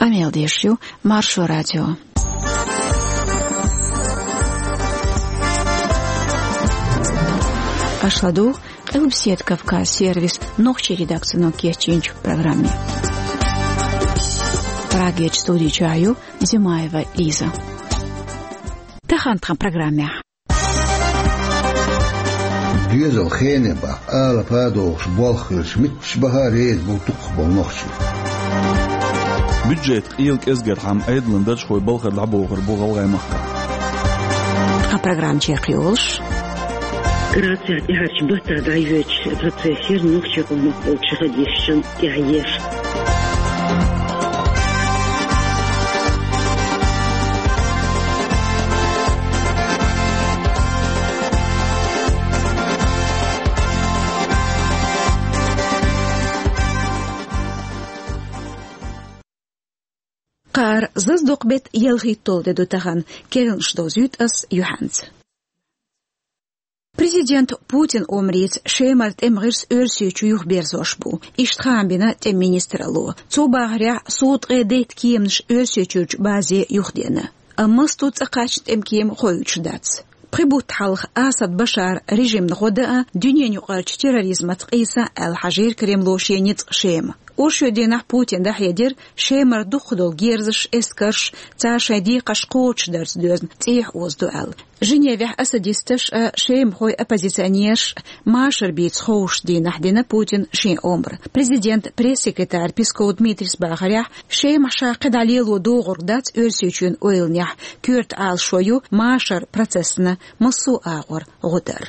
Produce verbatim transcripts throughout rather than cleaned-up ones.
Къамел деш ю Маршо радио. Аша ладугӀу Къилбаседа Кавказ сервисан нохчийн редакцино кечйинчу программе. Прагерчу студи чохь ю Зимаева Лиза. Тахана тхан программехь. Доьзал хене баккха, алапа а дохуш болх хилча, мичча баха а реза бу дукхахболу нохчий. Бюджетан къела кӀезгархьама Ӏедалан даржхойн балхара дӀабохур бу ГӀалгӀай махкахь. Тхан программа чекхйолуш. Грацехь тӀаьхьарчу баттахь дӀайоьдучу процессера нохчийн къомах болчу хадисчун тӀаьхьа еш. Кхара зазадоккху беттан ялхитталгӀа де ду тахана, керланаш довзуьйту ас юьхьанца. Президент Путин омрица Шемара тӀеман гӀирс Оьрсийчу юхаберзош бу. Иштта хаам бина тӀеман министралло. Цо бахарехь, сов ткъе дейтта кеманаш Оьрсийчуьрчу базе юхадеана. Амма массо а цӀа кхаьчна тӀеман кема хоуьйтуш дац. Пхи бутт хьалха Асад Башаран режимна гӀо дан а, дуьненаюкъарчу терроризмаца къийсан а аьлла хьажийра Кремло шен ницкъ Шема. Оршотдийнахь Путина дӀахьедира Шемара дукхах долу герзаш, эскарш, цара шайн декхарш кхочушдарца доьзна цӀехьа озадо аьлла. Женевехь асадисташ а, шемахойн оппозиционераш а машар бийца ховшучу дийнахь дина Путина шен омра. Президентан пресс-секретарь Песков Дмитрийс бахарехь, Шемахь ша кхидӀа лело догӀург дац Оьрсийчоьнан ойланехь, коьрта Ӏалашо ю машаран процессана массо а агӀор гӀо дар.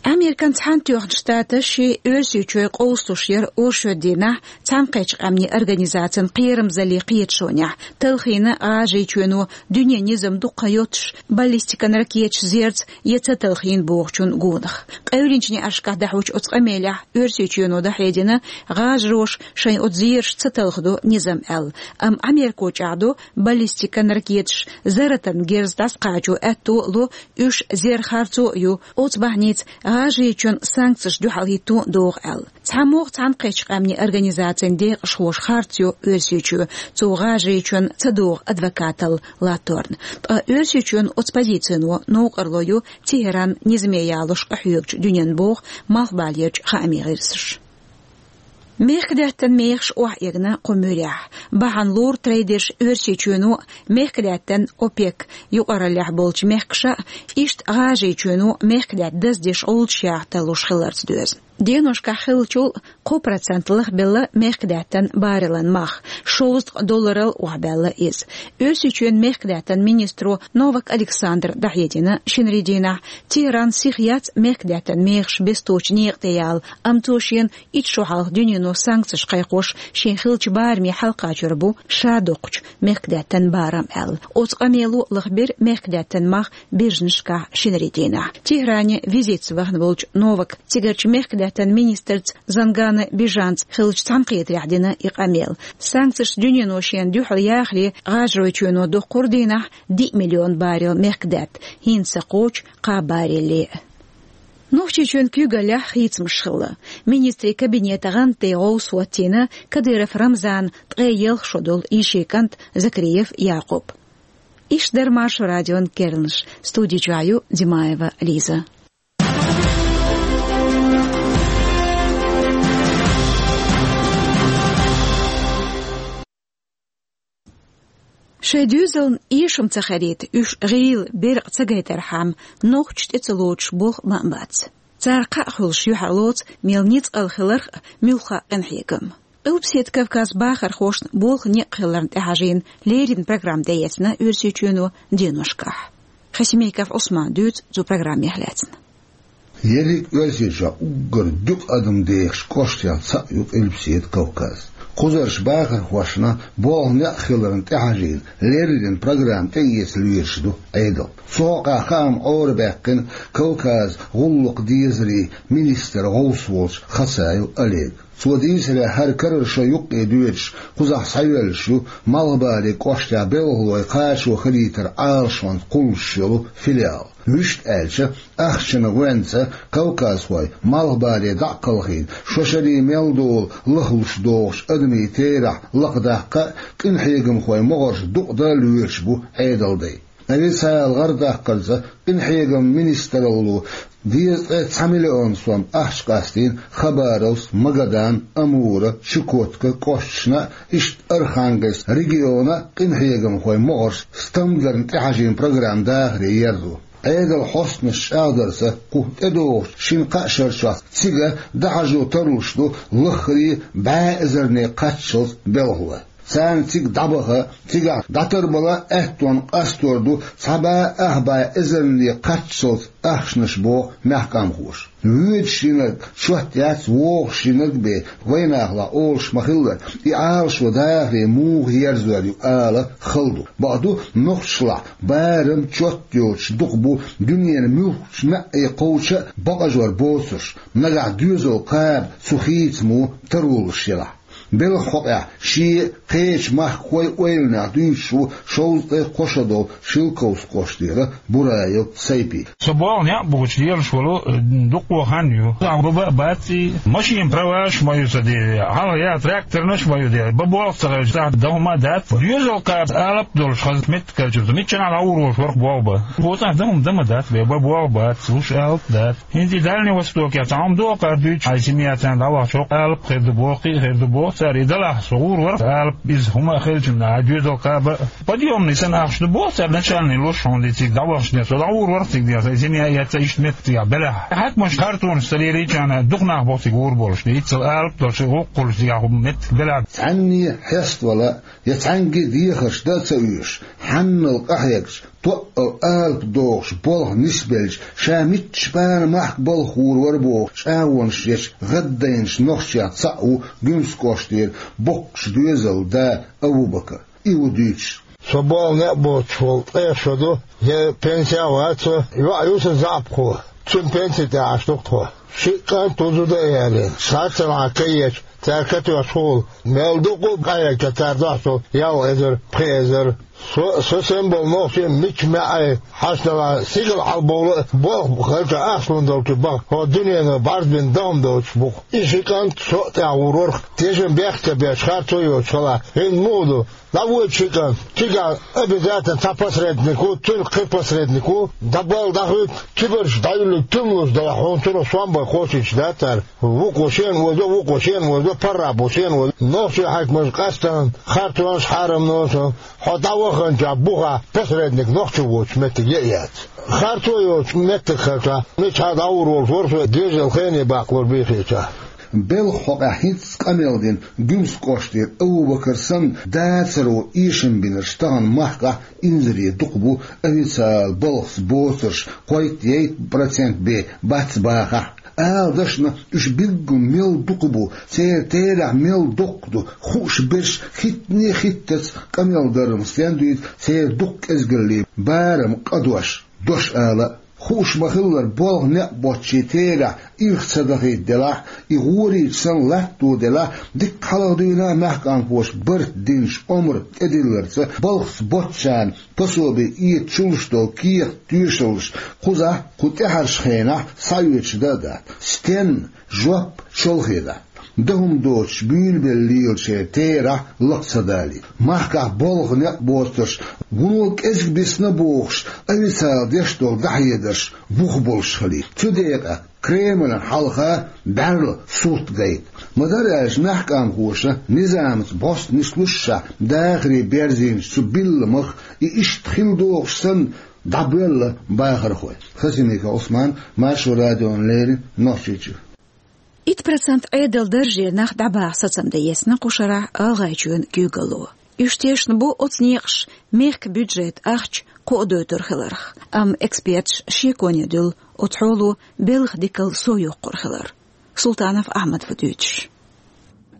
Американ Цхьаьнатоьхначу Штаташа Оьрсийчоь къовсалуш яра оршотдийнахь Цхьаьнакхеттачу Къаьмнийн Организацин кхерамзаллин кхеташонехь, талхийна ГӀажарийчоьно дуьненан низам дукха йоцуш баллистикан ракеташ зерца я ца талхийна бохучун гонах. Къевлинчу неӀаршкахь дахьочу оцу къамелехь Оьрсийчоьно дӀахьедина, гӀажароша шайн оцу зераш ца талхадо низам аьлла. Амма Америко чӀагӀдо, баллистикан ракеташ зарратан герз дӀасакхачо аьтто а ло, уьш зер харцо а ю, оцу бахьаница ГӀажарийчоьнна санкцеш дуьхьал хӀитто а догӀу аьлла. ЦхьамогӀа Цхьаьнакхеттачу Къаьмнийн Организацин декъашхоша харц йо Оьрсийчоь, цо ГӀажарийчоьнна ца догӀу адвокаталла латторна. Ткъа Оьрсийчоьнан оцу позицино новкъарло ю ТехӀран низаме ялош къахьоьгучу дуьненна, боху малхбалерчу хаамийн гӀирсаша. Мехкадаьттан мехаш охьаэгна кху муьрехь. Бахьана лору трейдерш Оьрсийчоьно а, мехкадаьттан ОПЕК юкъараллехь болчу мехкаша а, иштта ГӀажарийчоьно мехкадаьтта даздеш гӀулчаш яха тарлуш хиларца доьзна. Деношкахь хиллачул кхо процент лахбелла мехкадаьттан баррелан мах, шовзткъа долларал охьабаьлла иза. Оьрсийчоьнан мехкадаьттан министро Новак Александра дӀахьедина шинарин дийнахь, ТехӀран сиха яц мехкадаьттан мехаш бесточу некъа тӀе яла, амма цо шена итт шо хьалха дуьнено санкцеш кхайкхош шен хиллачу бараме хьалакхачор бу ша доккхучу мехкадаьттан барам аьлла. Оцу къамело лахбира мехкадаьттан мах биржинашкахь шинарин дийнахь. ТехӀране визитца вахана волчу Новака цигарчу мехкадаьттан министрца Зангана Бижанца хиллачу цхьаьнакхетарехь дина и къамел. Санкцешца дуьнено шена дуьхьал яхаре ГӀажарийчоьно доккхура дийнахь диъ миллион баррел мехкадаьтта, хӀинца ца кхочу кхаа барреле а. Нохчийчоьнан куьйгаллехь хийцамаш хилла. Министрийн кабинетан гӀантдайн гӀовс хӀоттийна Кадыров Рамзанан ткъе ялх шо долу йишин кӀант Закриев Якъуб. Иштта дара Маршо радион керланаш. Студи чохь ю Димаева Лиза. Шайн доьзална эшам ца хилийта, уьш гӀийла, беркъа ца гайтархьама, нохчаша тӀе ца лоцуш болх ма а бац. Цара кхаъ хуьлуш юьхьарлоцу, мел ницкъала хиларх а, муьлхха а къинхьегам. Къилбаседа Кавказан бахархошна болх некъ хиларна тӀехьажийна леррина программа тӀеэцна Оьрсийчоьно деношкахь. Хасимиков Ӏусмана дуьйцу цу программех лаьцна. Ерриг Оьрсийчохь уггар дукха адам дехачу кӀоштех цхьаъ ю Къилбаседа Кавказ. Кхузарчу бахархошна болх некъ хиларна тӀехьажийна леррина программа тӀеэца лоьруш ду Ӏедал. Цу хьокъехь хаам Ӏорабаьккхина Кавказан гӀуллакхан дезарийн министран гӀовс волчу Хасаев Олега. Цо дийцарехь, хӀара карара шо юккъе доьдуш, кхузахь схьайоьллуш ю Малхбале кӀоштехь белхалой кхачо хилийтаран Ӏалашонца кхуллуш йолу филиал. Вуьшта аьлча, ахчанан гӀоьнца кавказхой Малхбале дӀа а кхалхийна, шо шаре мел долу лахлуш догӀучу адамийн терахь лакхадаккха а, къинхьегамхойн могӀарш дукъадан а лоьруш бу Ӏедалдай. Официалан гӀардаккхарца, къинхьегаман министралло дезткъе цхьа миллион сом ахча къастийна Хабаровск, Магадан, Амура, Чукотка кӀошташна а, иштта Архангельск региона а къинхьегамхойн могӀарш стамдарна тӀехьажийна программа дахаре ерзо. Ӏедалан хьостанаша чӀагӀдарца, кху тӀедогӀучу шина-кхаа шарчохь цига дӀахьажо тарлуш ду лаххара бӀе эзарне кхаччалц белхалой. Царна цига дӀабаха, цигахь дӀатарбала а аьттонна къастор ду цхьа бӀе ах бӀе эзарне кхаччалц ахчанаш, боху мехкамхоша. Воьдуш йинарг чот яц, вогӀуш йинарг бен, вайнахалахь олуш ма-хиллара, и Ӏалашо дахаре муха ерзор ю ала хала ду. Бакъду, нохчашлахь барам чот йоцуш дукха бу дуьненан муьлххачу маьӀӀе кхочу а бакъажор боцурш, нагахь доьзал кхаба цу хийцамо таро луш елахь. Белхан хьокъехь шен а, кхечу махкахойн а ойланех дуьйцуш ву шовзткъе кхо шо долу Шелковски кӀоштара Бураев Сайпи. Со болх некъ бухучу лелаш волу, э, дукха хан ю. Баба а бац и, машенан праваш а ма ю сан де, хьалха яа тракторнаш а ма ю де, бан болх ца хилча, цхьа дан хӀума а дац. Доьзал кхаба алапа долуш хаза меттиг хилча, миччахьа дӀагӀур волуш вара-кх боху бан. Оцу тӀехь дан хӀума дан ма дац бен, бан болх бац, луш алапа дац. ХӀинца и Дальний Востокехь цхьа хӀума догӀу кхара дуьйцуш, хьайн семьяца дӀавахча хӀокху алапа хир ду боху, кхин а хир ду боху цара. И далахь со гӀур вара алапа, иза хӀума а хилчунна, а доьзал кхаба а. Подъёмный санна ахча ду боху цара, начальный луш хьуна де цига дӀавахча де. Со дӀагӀур вара цига де, сан семья эцца иштта меттигехь белахь. Хьаькамаша хартонаш ца лелийча, дукха нах боху цига гӀур болуш де. Иццал алапа долуш, гӀуллакх хуьлуш цигахь хӀума меттиг белахь. Цхьанне хьеставала, я цхьаьнгге дехарш дан а ца оьшуш, хьаннал къахьегча, тоъал алапа догӀуш болх нисбелча, ша мичча бана махка балха гӀур вара боху чӀагӀонаш ечу гӀаддайначу нохчех цхьаъ ву Гуьмсан кӀоштара боккхачу доьзалан да Абу-Бакар. И ву дуьйцуш. Со болх некъ боцуш волу ткъех шо ду, я пенсехь а вац со, йоӀ ю сан заьӀапхо, цуьнан пенси тӀехь Ӏаш ду-кх тхо. Шиъ кӀант ву, зуда а ялийна, цхьацца лахьа каеча, цара катоьхча хула, мел дукха а къахьегча, цара дохьуш долу ялх эзар, пхи эзар. Со, со санна болу нохчий мичча маьӀӀе хьаьшна далахь, сигала хьалабовла а, болх хилча, ахча лун долчу баха, хӀокху дуьнено бӀаьрг бина дан хӀума доцуш бу-кх. И ши кӀант со а тӀехь гӀур вара-кх, тешам бехк а ца беш, харцо а йоцуш хилахь. ХӀинца муха ду? ДӀавоьду ши кӀант, цигахь обязательно цхьа посредник ву, цуьнан кхин посредник ву, дӀабала дӀахуьйту, кибарчу дӀаюьллург туьмалуш далахь, хьуна цунах сом бан кхочуьйтуш дац цара. Вукхо шена озо, вукхо шена озо, паргӀат бу шена озо. Нохчийн хьаькамаша къаьстина, харцонаш, хьарамноша, хьо дӀаваханчохь бухахь посредник нохчо воцуш меттиг я а яц. Харцо йоцуш меттиг хилча, миччахьа дӀагӀур волуш вара со, дежал хене баккхалур бийхича. Белхан хьокъехь хӀинцца къамел дина Гуьмсан кӀоштара Абу-Бакар санна, дацаро эшам бинарш тахана махкахь инзаре дукха бу, официалан балхаца боцурш кхойтта-ейтта процент бен бац бахахь. Ала дашна, уьш билггал мел дукха бу, церан терахь мел доккха ду, хууш берш хӀиттане а хӀиттац къамел даран стен дуьйцу церан дукха кӀезгаллин барам къадош, дош ала а. Хууш ма-хиллара, болх некъ боцчийн терахь ирх ца дахийта делахь, и гӀорийча санна латто делахь, дикка хьалха дуьйна а мехкамхоша барт динчу омра тӀедилларца, балхаца боцчарна пособи эца чуллуш долу кехат, тоьшаллаш кхузахь, кху тӀаьхьарчу хенахь схьаоьцуш дан а дац. Стенна, жоп чолхе дац. Дан хӀума доцуш буьйлабелла лелачеран терахь лакха ца далийта. Махкахь болх некъ боцурш, вуно кӀезиг бисна бохуш, официалан деш долу дӀахьедарш бух болуш хилийта. Цу декъехь Кремлана хьалха бӀаьрла сурт гайта. Ма-дарра аьлча, мехкамхоша низамца бӀостанаш лушшехь дахаре берзийначу цу билламах и иштта хила догӀуш санна дӀабоьлла бахархой. Хасимиков Ӏусман, Маршо радиона леррина, Нохчийчуьра. Итт процент Ӏедалан даржера нах дӀабаха сацам дан езна кху шарахь ГӀалгӀайчоьнан куьйгалло. Уьш тешна бу оцу некъаша мехкан бюджетан ахча кхоадойтур хиларх, амма эксперташа шеконе дуьллу оцу хьоло белхан дикалла сов йоккхур хилар. Султанов Ахьмада ву дуьйцуш.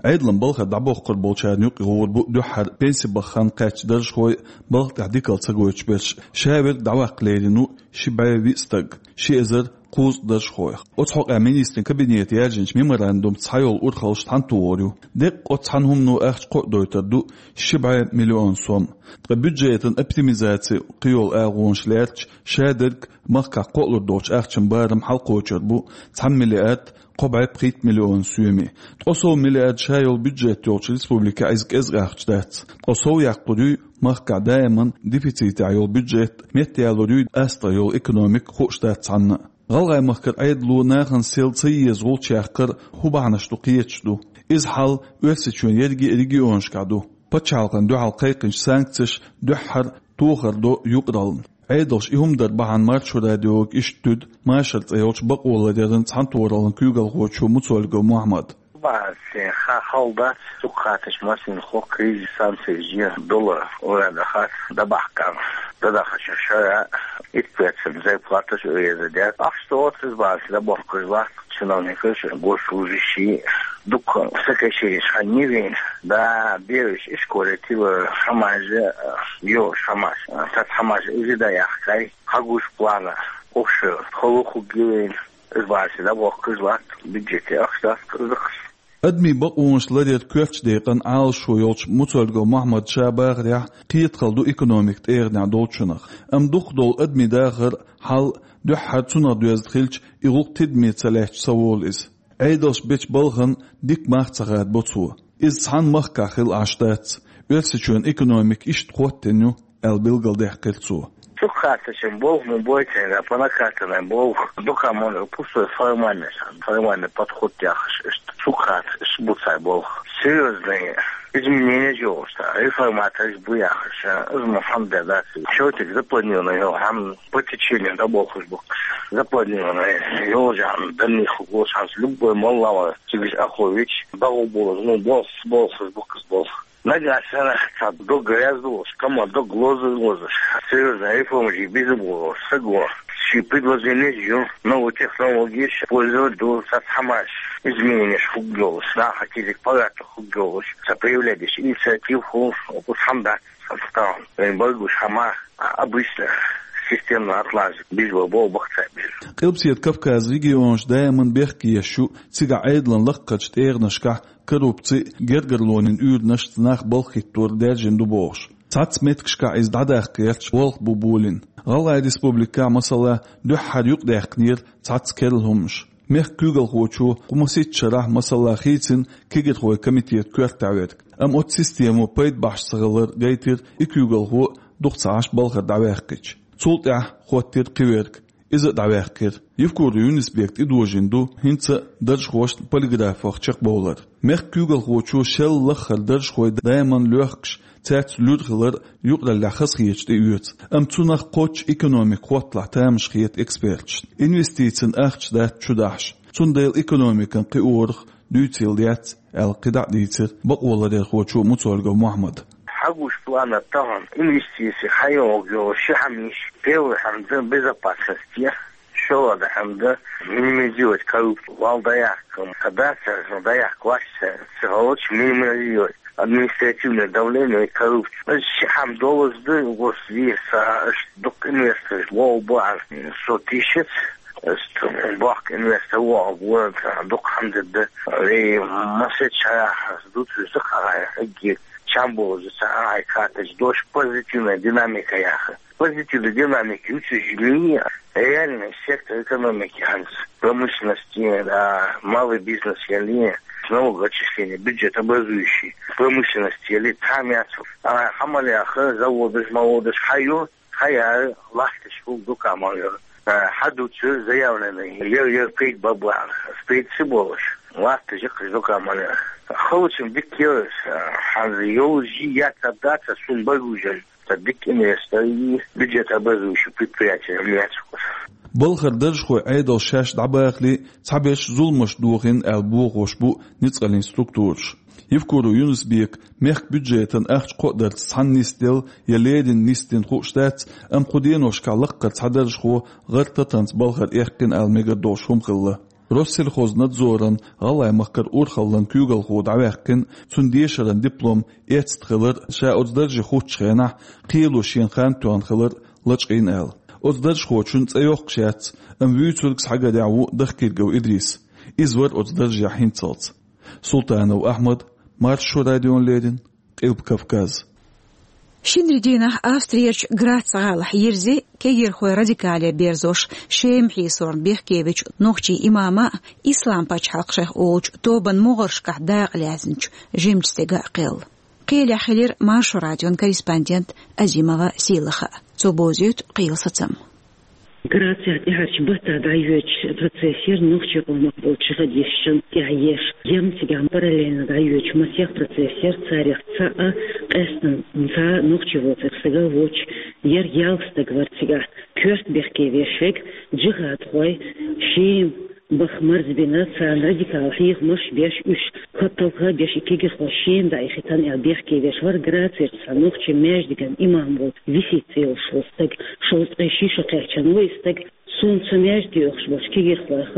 Ӏедалан балхара дӀабохкур болчарна юкъа гӀур бу дуьххьара пенси баха хан кхаьчна даржхой, балха тӀехь дикалла ца гойтуш берш. Ша верг дӀаваккха лерина ву ши бӀе виъ стаг, ши эзар кхузткъа даржхойх. Оцу хьокъехь министрийн кабинето яьржинчу меморандумца схьайолу урхаллаш цхьаьна тухур ю. Деккъа оцу цхьана хӀумано ахча кхоадойтур ду ши бӀе миллион сом. Ткъа бюджетан оптимизаци кхийолу агӀонаш лаьрча, шадерг махкахь кхоалур долчу ахчан барам хьалакхочур бу цхьана миллиард кхо бӀе пхийтта миллион соьме. Ткъа сов миллиард ша йолу бюджет йолчу республикехь иза кӀезиг ахча дац. Ткъа сов яккхур юй махкахь даиман дефицитехь йолу бюджет, меттаялур юй астагӀа йолу экономика, хууш дац цхьанна а. ГӀалгӀай-Махкара Ӏедало нахана сел ца еза гӀулч яккхар хӀун бахьанаш ду кхеташ ду. Иза хьал Оьрсийчоьнан ерриге а регионашкахь ду. Пачхьалкхана дуьхьал кхайкхинчу санкцеша дуьххьара тохар до юкъараллина. Ӏедалша и хӀума дар бахьана Маршо радиога иштта туьду Машар цӀе йолчу бакъоларъяран цхьаьнатохараллин куьйгалхочо Муцольгов Мухьаммада. Баьсса хан хала дац, цу кхаташ массанхьа кризис санкцеш я доллар ура дахац, дӀабахкана, дӀадахачу шара итт процент зарплаташ уреза дац. Ахча оццу баьсса дӀабохкуш латт чиновникаш, госслужащий, дукха сокращенеш хан йивина. Да, бераш ишколе тилла хьамажа, йо, хьамаш. Цац хьамаш иза да яхкай, хьагуш плана, офшор, холу хуггивина. Иза баьсса дӀабохкуш латт, бюджете ахча дац, кхузахаш. Адамийн бакъонаш ларъяран коьртачу декъан Ӏалашо йолчу Муцольгов Мухьаммада ша бахарехь, кхетахалла ду экономика тӀегӀанехь долчунах. Амма дукхахдолу адамийн дахар, хьал дуьххьара цунах доьзна хилча, и гӀуллакх тидаме ца лаьцча ца волу иза. Ӏедалша бечу балхана дика мах ца хадабо цо. Иза цхьана махкахь хилла Ӏаш дац. Оьрсийчоьнан экономика иштта хӀоттийна ю, аьлла билгалдаьккхира цо. Цу кхаташан болх ма бойтийна, по накатанной болх, дукха ма ду, пустой формальный сан, формальный подход яхаш, иштта цу кхаташ бу цай болх. Серьёзные изменения йолуш, реформаторш бу яхаш, иза ма хьан де дац. Всё-таки запланированный йолу хьан по течению дӀаболхуш бу-кх. Запланированный йолу хьан данни хӀугуш хьан любой молла ван, цигаш ахло вич, багӀу болуш, ну, болх, болхуш бу-кх иза болх. Нагахь санна цхьа дог грязь долуш, кама дог лоза лозуш, серьёзная реформа жи беза болуш, саго ши предложение жу, новые технологии пользовать ду, цхьа хьамаш, измененеш хӀугдолуш, наха кизик пагатта хӀугдолуш, ца проявлять деш инициатив хӀуш, оцу хьамдац, ца стан, вайн байгуш хьама, обычно системно атлажа, бижба бо бахца бижа. Къилбаседа Кавказан регионаш даиман бехке еш ю, цигахь Ӏедалан лакхарчу тӀегӀанашкахь коррупци, гергарлонийн уьйранашца нах балха хӀиттор даьржина ду бохуш. Цхьацца меттигашкахь иза дӀадаккха гӀерташ болх бу болийна. ГӀалгӀайн республикехь, масала, дуьххьара юкъадаьккхинера цхьацца керла хӀуманаш. Мехкан куьйгалхочо кху масийтта шарахь, масала, хийцина кегирхойн комитетан коьртехь верг. Амма оцу системо пайда бахьаш ца хилар гайтира и куьйгалхо дукха ца Ӏаш балхара дӀаваьккхича. Цул тӀаьхьа хӀоттийра кхин верг. Иза а дӀаваьккхира. Евкуров Юнус-Бека тӀедожийна ду хӀинца а даржхошна полиграфах чекхбовлар. Мехкан куьйгалхочо шел лаххара даржхой даиман лоьхкуш, цаьрца луьра хилар юкъараллехь хазахеташ тӀеоьцу, амма цунах кхоччуш экономика хӀотталахь тамаш хета эксперташна. Инвестицийн ахча дац чу дахьаш. Цундела экономикан кхиорах дуьйцийла дац, аьлла кхидӀа а дийцира бакъоларъярхочо Муцольгов Мухьаммада. Хьагуш плана тахана инвестиций хьайогӀу йолу ши хьамиш, первый хьамда безопасность я, шолгӀа хьамда минимизировать коррупцию, вал даяккха, кадацарна даяккха вац, ца гӀолчу минимизировать административное давление и коррупцию. Ши хьам долаза ду, гос вийр са, аш дукха инвесторш вогӀу бу, со тишац, Ас бохк инвестор вогӀу, дукха хьамда да. Вей масет шарахь ас дуцуьйту хьагӀай хӀагги чам бозу ца хьагӀай кхаташ дош позитивная динамика яха. Позитивная динамика юцуьжили, реальный сектор экономики хьанца, промышленность, да, малый бизнес яли, налогоотчисление, бюджет образующий, промышленность яли, там яц. А хьамал яха, заводаш, маводаш хьайо, Хьаяр лахташ хӀума дукха ма йо. Хьадуцур заявленный, ер, ер пайда бан бахьана, пайда ца болуш, лахташ яккхаш дукха ма йо. Халучун дика йо, хьанза йолу жи яц а дац а сун байгужал, ца дика инвестор и бюджет образующий предприятие яц вкус. Балхара даржхой Ӏедал шаьш дӀабахале, цхьаберш зуламаш дохийна аьлла бохош бу ницкъаллин структураш. Евкуров Юнус-Бека мехкан бюджетан ахча кхоадарца цхьаьна нисделла я леррина нисдина хууш дац, амма кху деношкахь лаккхара цхьа даржхо гӀар татанца балхара эккхина аьлла мегар долуш хӀума хилла. Россельхознадзоран ГӀалгӀай-Махкара урхаллан куьйгалхо дӀаваьккхина, цуьнан дешаран диплом эцна хилар, ша оцу дарже хуттучу хенахь кхело шена хан тоьхна хилар лачкъийна аьлла. Оцу даржхочун цӀе йоккхуш яц, амма вуьйцург схьагадехь ву Дахкиргов Идрис. Иза вара оцу даржехь хӀинццалц. Султанов Ахьмад, Маршо радиона леррина, Къилба Кавказ. Шинарин дийнахь Австрерчу Грац гӀалахь йирзи кегирхой радикале берзош, Шема хьийсорна бехкевечу нохчийн имама а, Ислам-пачхьалкх шайх олучу тобанан могӀаршкахь дакъа лаьцначу жимачу стеган а кхелла. Кхелехь хилира Маршо радион корреспондент Азимова Сийлаха. Цо бовзуьйту кхелан сацам. Грацехь тӀаьхьарчу баттахь дӀайоьдуш процесс яра нохчийн къомах болчу жихадисташна тӀехь еш. Яра цигахь параллельно дӀайоьдуш масех процесс яра, царех цхьаъ къаьстина цхьа нохчи воцург стаг а воцуш, яра ялх стаг вара цигахь. Коьрта бехке веш верг, жихадхой, Шема баха марзбина, царна радикал хьехамаш беш, уьш хӀотталха беш, и кегирхой Шема дӀаихийтина аьлла бехке веш вара Грацерчу цхьа нохчийн маьждиган имам волу Висит цӀе йолуш волу стаг, шовзткъе ши шо кхаьчна ву и стаг. Суна цу маьждиге оьхуш болчу кегирхойх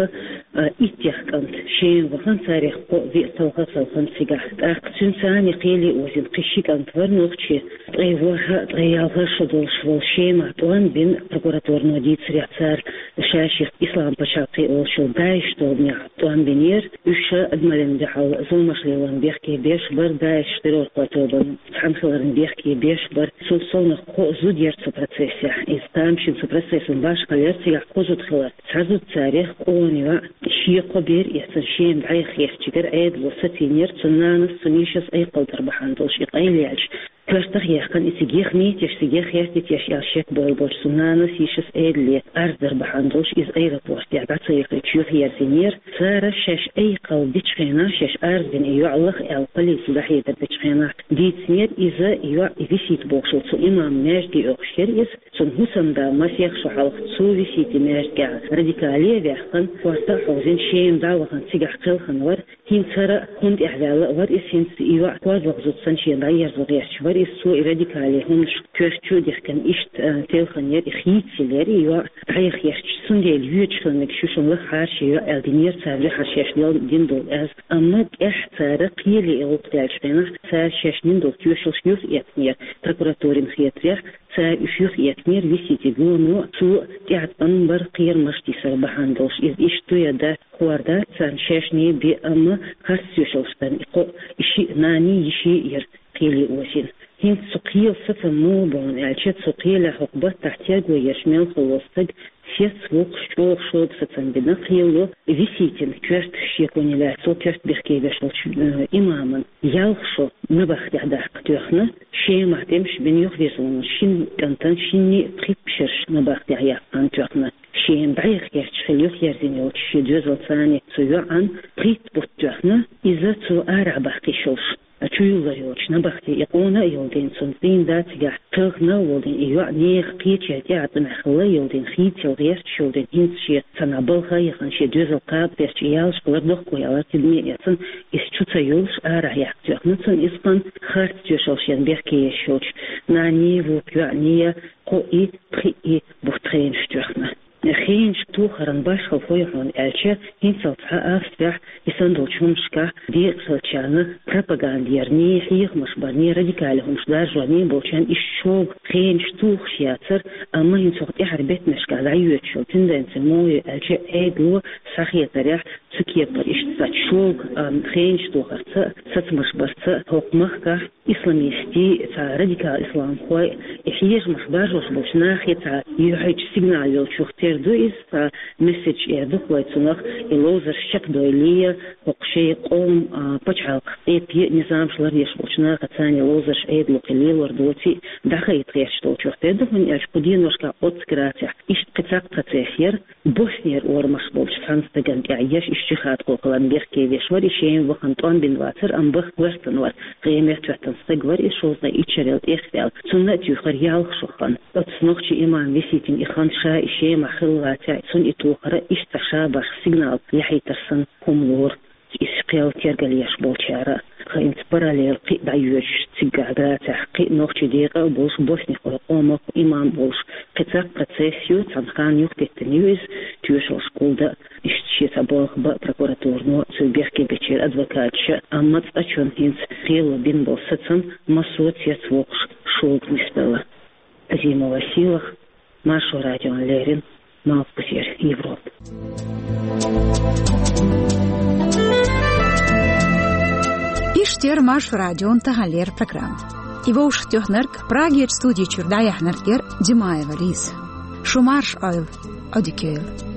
а иттех кӀант Шема вахана, царех кхоъ-виъ кхалха а кхелхина цигахь. ТӀаккха цуьнца цхьаьна кхеле озийна кхин ши кӀант вара нохчи. Ткъе ворхӀ а, ткъе ялх а шо долуш волу Шема тӀом бина, прокуратуро дийцарехь, цара ша-шех Ислам-пачхьалкх олуш йолу ДАИШ тобанехь тӀом бинера. Уьш ша адамаллин дуьхьал зуламаш лелорна бехке беш бара, ДАИШ террорхойн тобанан цхьаьна хиларна бехке беш бара. Цул совнаха кхоъ зуда яра цу процессехь. Иза тамашийна цу процессан башхалла яра, цигахь кхо зуда хилар. Цхьа зуда царех, къона йоӀ, шен кхо бер эцна, Шема дӀаяха гӀертачуьнгара Ӏедало сацийнера, цуьнан нанас, цуьнан йишас айкхалла дар бахьана долуш и къайлаьлча, коьртах а яьккхина, и цига яха метташ, цига яха гӀертий-теш аьлла шек бойла болчу цуьнан нанас, йишас Ӏедале арз дар бахьана долуш, иза аэропортехь дӀа ца яхийтуш юхаерзийнера. Цара шаьш айкхалла дечу хенахь, шаьш арз дина и йоӀ лаха аьлла, полице дӀахьедар дечу хенахь дийцинера иза, и йоӀ, и Висит бохуш волу цу имаман маьждиге оьхуш яра иза. Цуьнан хӀусамда масех шо хьалха цу Виситан маьждигехь радикале а ваьккхина, корта а хьовзийна, Шема дӀа а вахана, цигахь кхелхина вара. ХӀинца хӀара а хӀунда тӀехь ваьлла а вара иза, хӀинца и йоӀ кхозлагӀа зуда санна шена дӀаерзо гӀерташ вара иза. Цо и радикале хӀуманаш коьрта чу а дихкина, иштта, а, телхина яра и, хийцаелла яра и йоӀ дӀаяха гӀерташ. Цундела йоьдуш хила мегаш ю шуна лаха хьара шен йоӀ аьлла динера цара, дуьххьара шаьш дина долу аз. Амма тӀаьхьа цара кхеле и гӀуллакх даьллачу хенахь, цара шаьш дина долу тоьшаллаш юхаэцнера, прокуратурина хетарехь, цара уьш юхаэцнера Виситан гоно, цо тӀаьхьа тӀом бар, кхерамаш тийсар бахьана долуш. Иза иштта ду я дац, хӀорда царна шаьшний бен, амма харц тоьшаллаш дарна и кхоъ, и шиъ нанний, йиший яра кхеле озийна. ХӀинца цу кхелан сацам муха бу аьлча, цу кхелехь хӀокху баттахь терго еш мел хилла волу стаг сецвоккхуш, чӀогӀа шога сацам бина. Кхело Виситан коьрта шеконе лаьцна, цо коьрта бехке веш волчу, э, имаман ялх шо набахтехь даккха тоьхна, Шемахь тӀемаш бина юхавирзина шина кӀантана, шинний пхи пхьарш набахтехь яккхарна тоьхна. Шема дӀаяха гӀерташ хилла юхаерзийна йолчу шен доьзалца, цуьнан йоӀан пхийтта бутт тоьхна, иза цо арахь баккхийш йолуш чуюллар йолчу набахте и къона а йолу дийна, цуьнан цӀийнда цигахь кхелхина а волу дийна, и йоӀ нехан кхечеран тӀеӀаткъамехь хилла а йолу дийна, хийцаелла гӀерташ йолу дийна, хӀинца шен цхьана балха а яхана, шен доьзал кхаба гӀерташ, и ялх шо лардоккху аьлла, тидаме а эцна, иза чу ца юллуш, арахь яккха тоьхна цунна иза, кхана харц тоьшаллаш дарна бехке еш йолчу нанний, вукху йоӀний кхоъ и, пхиъ и бутт хенаш тоьхна. Хенаш тохаран башхалла хӀун ю хьуна аьлча, хӀинццалц цхьа Австрехь и санна долчу хӀуманашкахь декъахь хиллачарна пропаганда ярний, хьехамаш барний, радикале хӀуманаш даржорний болчарна иштта шога хенаш тухуш яцара, амма хӀинца хӀокху тӀаьхьарчу беттанашкахь дӀайоьдуш йолу тенденци муха ю аьлча, Ӏедало схьахетарехь, цу кепара иштта цхьа шога, ам, хенаш тохарца, сацамаш барца хӀокху махкахь исламистийн, цхьа радикал исламхойн и хьехамаш баржош болчу нахе цхьа юьхьанчу сигнал йолчух тера ду иза, цхьа месседж эр ду-кх вай цунах, и ловзарш чекхдойла, хӀокху шайн къоман, а, пачхьалкх тӀе пе низамаш лардеш болчу нахаца и ловзарш Ӏедало кхин лелор доций дӀахайта гӀерташ долчух тера ду, хӀунда аьлча кху деношкахь оццу Грацехь иштта кхин цхьа процесс яра, Боснера орамаш болчу цхьана стагана тӀехь еш, иштта жихӀадхой хиларна бехке веш вара, и Шема вахана тӀом бина вацара, амма баха гӀоьртина вара, къематта хӀоьттина стаг вара, и шовзткъе итт шарел тӀехваьлла. Цунна а туьйхира ялх шо хан. Оцу нохчийн имам Виситина и хан ша и Шемахь хилла вацахь, цунна и тохар а иштта цхьа шабаш сигнал яхьийтар санна хӀума лору. Иза кхел тергал еш болчара, хӀинца параллел кхин а дӀайоьдуш цигахь Грацехь кхин а нохчийн декъа а болуш, боснихойн къомах имам а волуш, кхин цхьа процесс ю, цхьана ханна юхатеттина ю иза, тоьшаллаш гулдан, иштта шен цхьа болх бан прокуратуро, цуьнан бехке бечеран адвокаташа, амма цкъачунна хӀинца кхело бина болу сацам массо а цецвоккхуш шога нисделла. Азимова Сийлаха, Маршо радион леррина малхбузера Европа. Иштта яра Маршо радион таханлера программа. И вовшахтоьхнарг, Прагерчу студи чуьра дӀаяьхьнарг яра Димаева Лиза. Шу марша Ӏойла, Ӏодика йойла.